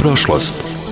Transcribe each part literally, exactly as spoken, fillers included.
prošlost.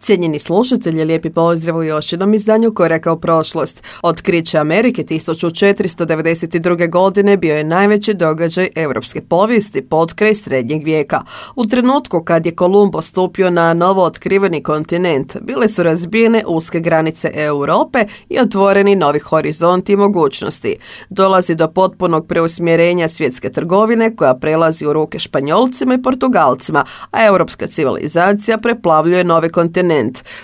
Cijenjeni slušatelji, lijepi pozdrav u još jednom izdanju Koraka u prošlost. Otkriće Amerike tisuću četiristo devedeset druge. godine bio je najveći događaj europske povijesti potkraj srednjeg vijeka. U trenutku kad je Kolumbo stupio na novo otkriveni kontinent, bile su razbijene uske granice Europe i otvoreni novi horizonti i mogućnosti. Dolazi do potpunog preusmjerenja svjetske trgovine koja prelazi u ruke Španjolcima i Portugalcima, a europska civilizacija preplavljuje novi kontinent.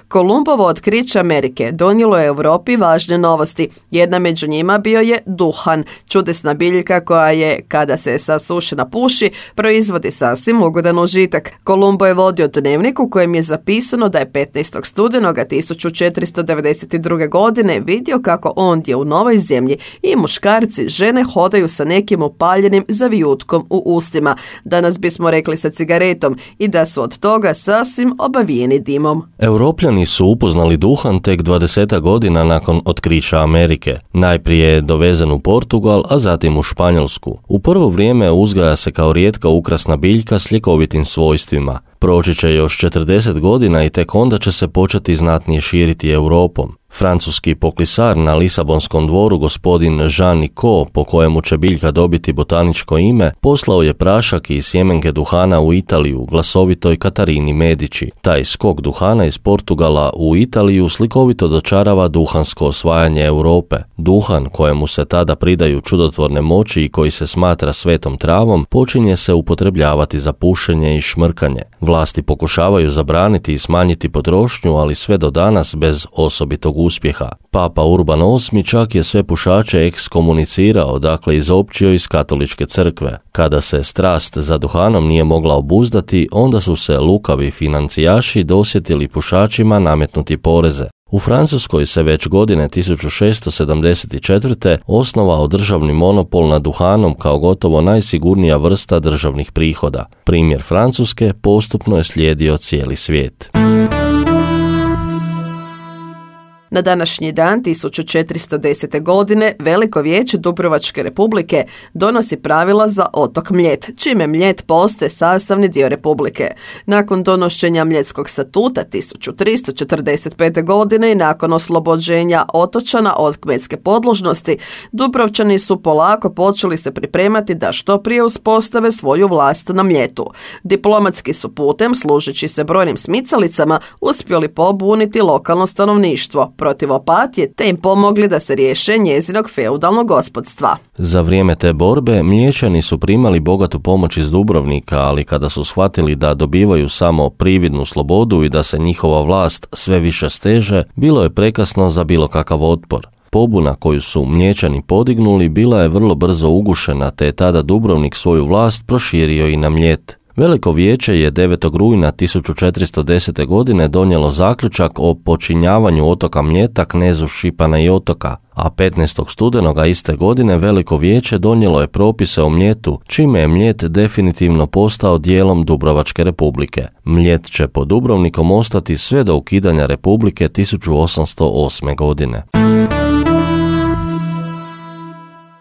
Kolumbovo otkriće Amerike donijelo je Europi važne novosti. Jedna među njima bio je duhan, čudesna biljka koja je, kada se sasušena puši, proizvodi sasvim ugodan užitak. Kolumbo je vodio dnevnik u kojem je zapisano da je petnaestog studenoga tisuću četiristo devedeset druge. godine vidio kako ondje u novoj zemlji i muškarci, žene hodaju sa nekim upaljenim zavijutkom u ustima. Danas bismo rekli sa cigaretom, i da su od toga sasvim obavijeni dimom. Europljani su upoznali duhan tek dvadeset godina nakon otkrića Amerike. Najprije je dovezen u Portugal, a zatim u Španjolsku. U prvo vrijeme uzgaja se kao rijetka ukrasna biljka s ljekovitim svojstvima. Proći će još četrdeset godina i tek onda će se početi znatnije širiti Europom. Francuski poklisar na Lisabonskom dvoru, gospodin Jean Nicot, po kojemu će biljka dobiti botaničko ime, poslao je prašak i sjemenke duhana u Italiju glasovitoj Katarini Medici. Taj skok duhana iz Portugala u Italiju slikovito dočarava duhansko osvajanje Europe. Duhan, kojemu se tada pridaju čudotvorne moći i koji se smatra svetom travom, počinje se upotrebljavati za pušenje i šmrkanje. Vlasti pokušavaju zabraniti i smanjiti potrošnju, ali sve do danas bez osobitog uspjeha. Papa Urban osmi čak je sve pušače ekskomunicirao, dakle izopćio iz katoličke crkve. Kada se strast za duhanom nije mogla obuzdati, onda su se lukavi financijaši dosjetili pušačima nametnuti poreze. U Francuskoj se već godine tisuću šessto sedamdeset četvrte. osnovao državni monopol nad duhanom kao gotovo najsigurnija vrsta državnih prihoda. Primjer Francuske postupno je slijedio cijeli svijet. Na današnji dan tisuću četiristo desete. godine Veliko vijeće Dubrovačke Republike donosi pravila za otok Mljet, čime Mljet postaje sastavni dio Republike. Nakon donošenja Mljetskog statuta tisuću tristo četrdeset pete. godine i nakon oslobođenja otočana od kmetske podložnosti, Dubrovčani su polako počeli se pripremati da što prije uspostave svoju vlast na Mljetu. Diplomatski su putem, služeći se brojnim smicalicama, uspjeli pobuniti lokalno stanovništvo protiv Opatije, te im pomogli da se riješe njezinog feudalnog gospodstva. Za vrijeme te borbe Mlječani su primali bogatu pomoć iz Dubrovnika, ali kada su shvatili da dobivaju samo prividnu slobodu i da se njihova vlast sve više steže, bilo je prekasno za bilo kakav otpor. Pobuna koju su Mlječani podignuli bila je vrlo brzo ugušena, te je tada Dubrovnik svoju vlast proširio i na Mljet. Veliko vijeće je devetog rujna tisuću četiristo desete. godine donijelo zaključak o počinjavanju otoka Mljeta knezu Šipana i Otoka, a petnaestog studenoga iste godine Veliko vijeće donijelo je propise o Mljetu, čime je Mljet definitivno postao dijelom Dubrovačke Republike. Mljet će pod Dubrovnikom ostati sve do ukidanja Republike tisuću osamsto osme. godine.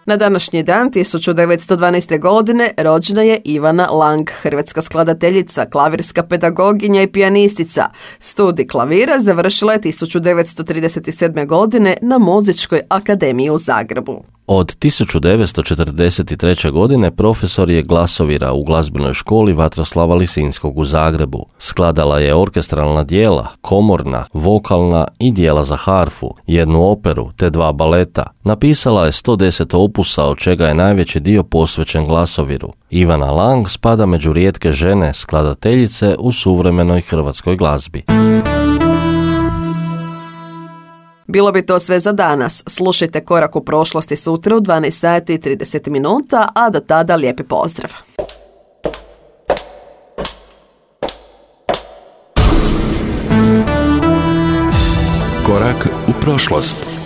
Na današnji dan tisuću devetsto dvanaeste. godine rođena je Ivana Lang, hrvatska skladateljica, klavirska pedagoginja i pijanistica. Studij klavira završila je tisuću devetsto trideset sedme. godine na Muzičkoj akademiji u Zagrebu. Od tisuću devetsto četrdeset treće. godine profesor je glasovira u glazbenoj školi Vatroslava Lisinskog u Zagrebu. Skladala je orkestralna djela, komorna, vokalna i djela za harfu, jednu operu te dva baleta. Napisala je sto deset opusa, od čega je najveći dio posvećen glasoviru. Ivana Lang spada među rijetke žene skladateljice u suvremenoj hrvatskoj glazbi. Bilo bi to sve za danas. Slušajte Korak u prošlosti sutra u dvanaest sati i trideset minuta, a do tada lijepi pozdrav. Korak u prošlost.